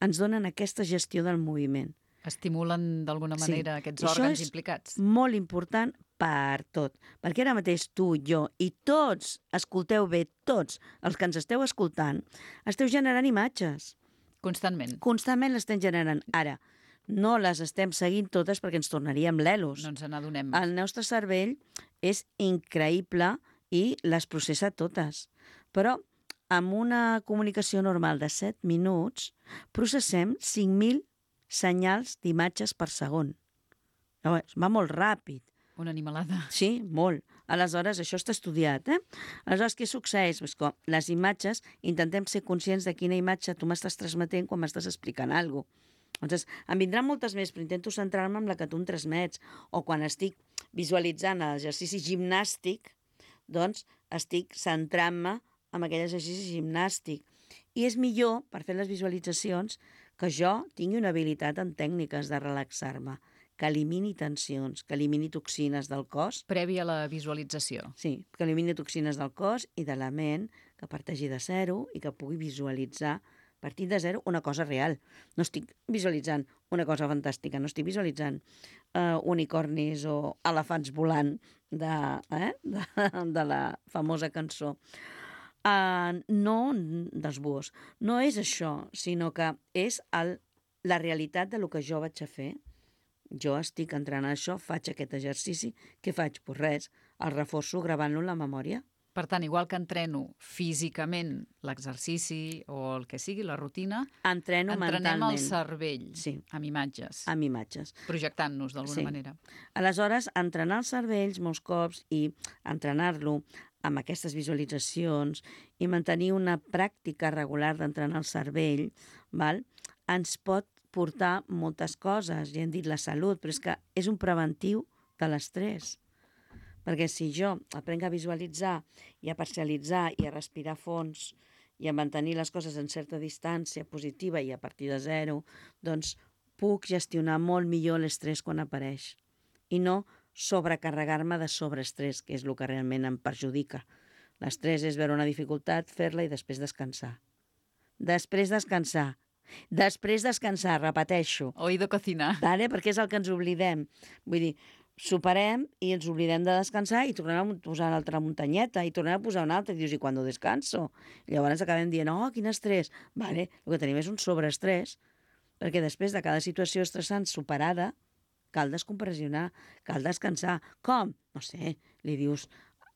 ens donen aquesta gestió del moviment. Estimulen d'alguna manera aquests òrgans implicats. Molt important per tot, perquè ara mateix tu, jo i tots, escolteu bé, tots els que ens esteu escoltant, esteu generant imatges. Constantment. Constantment l'estem generant. Ara, no les estem seguint totes perquè ens tornaríem l'elos. No ens n'adonem. El nostre cervell és increïble i les processa totes. Però amb una comunicació normal de 7 minuts processem 5.000 senyals d'imatges per segon. Va molt ràpid. Una animalada. Sí, molt. Aleshores, això està estudiat, Aleshores, què succeeix? Pues que les imatges, intentem ser conscients de quina imatge tu m'estàs transmetent quan m'estàs explicant alguna cosa. Llavors, em vindran moltes més, però intento centrar-me en la que tu em transmets. O quan estic visualitzant l'exercici gimnàstic, doncs estic centrant-me en aquell exercici gimnàstic. I és millor, per fer les visualitzacions, que jo tingui una habilitat en tècniques de relaxar-me, que elimini tensions, que elimini toxines del cos. Previ a la visualització. Sí, que elimini toxines del cos i de la ment, que parteixi de zero i que pugui visualitzar, partint de zero, una cosa real. No estic visualitzant una cosa fantàstica, no estic visualitzant unicornis o elefants volant de la famosa cançó. No dels búhos. No és això, sinó que és la realitat de lo que jo vaig a fer. Jo estic entrenant això, faig aquest exercici. Què faig? Pues res, el reforço gravant-lo en la memòria. Per tant, igual que entreno físicament l'exercici o el que sigui, la rutina, entrenem mentalment. El cervell, sí, amb imatges. Amb imatges. Projectant-nos d'alguna manera. Aleshores, entrenar els cervells molts cops i entrenar-lo amb aquestes visualitzacions i mantenir una pràctica regular d'entrenar el cervell, ens pot portar moltes coses. Ja hem dit la salut, però és que és un preventiu de l'estrès. Perquè si jo aprenc a visualitzar i a parcialitzar i a respirar fons i a mantenir les coses en certa distància positiva i a partir de zero, doncs puc gestionar molt millor l'estrès quan apareix. I no sobrecarregar-me de sobreestrès, que és el que realment em perjudica. L'estrès és veure una dificultat, fer-la i després descansar. Després descansar, repeteixo. Oído cocinar. Perquè és el que ens oblidem. Vull dir, superem i ens oblidem de descansar i tornem a posar una altra muntanyeta i tornem a posar una altra i dius, i quan descanso? I llavors acabem dient, quin estrès. El que tenim és un sobreestrès, perquè després de cada situació estressant superada, cal descompressionar, cal descansar. Com? No sé, li dius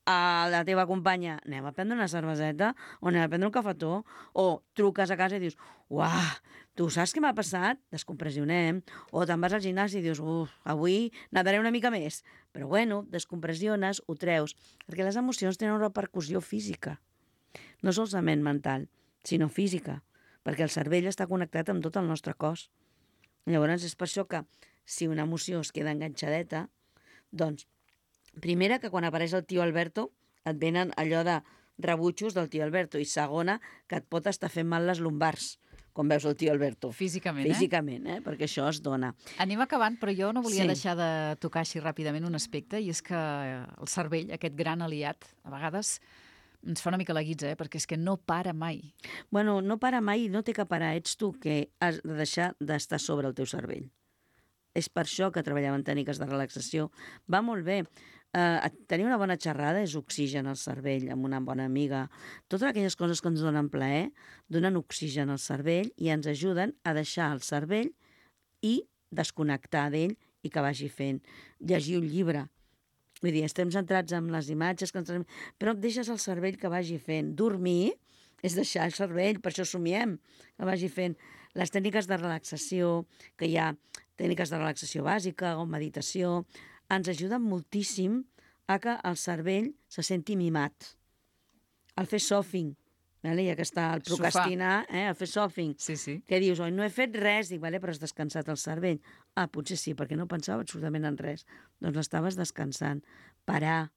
a la teva companya, anem a prendre una cerveseta o anem a prendre un cafetó, o truques a casa i dius, uah, tu saps què m'ha passat? Descompressionem. O te'n vas al gimnàs i dius, avui nadaré una mica més. Però bueno, descompressiones, ho treus, perquè les emocions tenen una repercussió física. No solament mental, sinó física, perquè el cervell està connectat amb tot el nostre cos. Llavors és per això que si una emoció es queda enganxadeta, doncs, primera, que quan apareix el tio Alberto et venen allò de rebutjos del tio Alberto, i segona, que et pot estar fent mal les lumbars quan veus el tio Alberto. Físicament, Físicament, perquè això es dona. Anem acabant, però jo no volia deixar de tocar així ràpidament un aspecte, i és que el cervell, aquest gran aliat, a vegades ens fa una mica la guitza, perquè és que no para mai. Bueno, no para mai, no té que parar. Ets tu que has de deixar d'estar sobre el teu cervell. És per això que treballem en tècniques de relaxació. Va molt bé. Tenir una bona xerrada és oxigen al cervell, amb una bona amiga. Totes aquelles coses que ens donen plaer donen oxigen al cervell i ens ajuden a deixar el cervell i desconnectar d'ell i que vagi fent. Llegir un llibre. Vull dir, estem centrats en les imatges, però deixes el cervell que vagi fent. Dormir és deixar el cervell, per això somiem, que vagi fent. Les tècniques de relaxació, que hi ha tècniques de relaxació bàsica o meditació, ens ajuden moltíssim a que el cervell se senti mimat. El fer sofing, ja que està el procrastinar, el fer sofing. Sí. Que dius, oi, no he fet res, dic, però has descansat el cervell. Ah, potser sí, perquè no pensava absolutament en res. Doncs l'estaves descansant. Parar.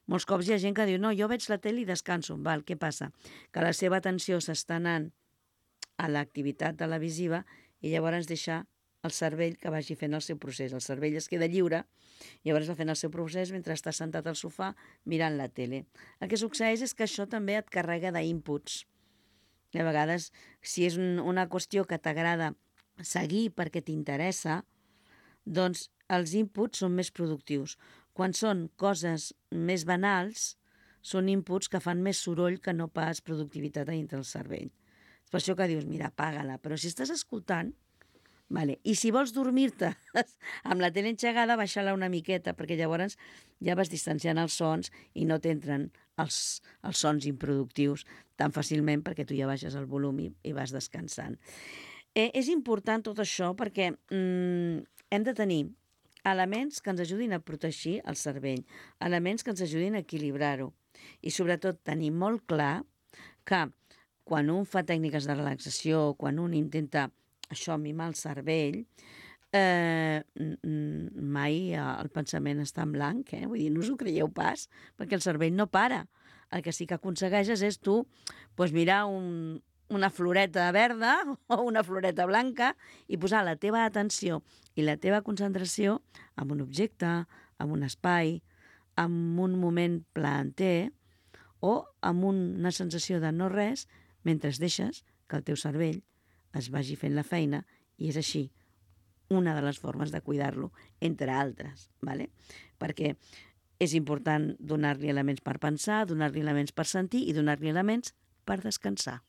Molts cops hi ha gent que diu, no, jo veig la tele i descanso. Val, què passa? Que la seva atenció s'està anant a l'activitat televisiva i llavors deixa el cervell que vagi fent el seu procés. El cervell es queda lliure, llavors va fent el seu procés mentre està sentat al sofà mirant la tele. El que succeeix és que això també et carrega d'inputs. A vegades, si és una qüestió que t'agrada seguir perquè t'interessa, doncs els inputs són més productius. Quan són coses més banals, són inputs que fan més soroll que no pas productivitat a dintre del cervell. És per això que dius, mira, apaga-la. Però si estàs escoltant, vale. I si vols dormir-te amb la tele engegada, baixa-la una miqueta, perquè llavors ja vas distanciant els sons i no t'entren els sons improductius tan fàcilment perquè tu ja baixes el volum i vas descansant. És important tot això perquè hem de tenir elements que ens ajudin a protegir el cervell, elements que ens ajudin a equilibrar-ho i sobretot tenir molt clar que quan un fa tècniques de relaxació, quan un intenta mimar el cervell, mai el pensament està en blanc, vull dir, no us ho creieu pas, perquè el cervell no para. El que sí que aconsegueixes és tu mirar una floreta verda o una floreta blanca i posar la teva atenció i la teva concentració en un objecte, en un espai, en un moment plaenter o amb una sensació de no res mentre deixes que el teu cervell es vagi fent la feina i és així una de les formes de cuidar-lo, entre altres, ¿vale? Perquè és important donar-li elements per pensar, donar-li elements per sentir i donar-li elements per descansar.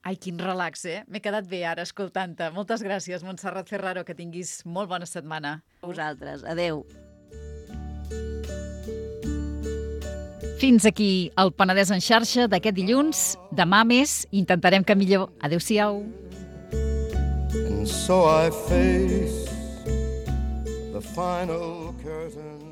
Ai, quin relax, M'he quedat bé ara escoltant-te. Moltes gràcies, Montserrat Ferraro, que tinguis molt bona setmana. A vosaltres. Adeu. Fins aquí el Penedès en xarxa d'aquest dilluns. Demà més, intentarem que millor. Adéu-siau. And so I face the final curtain.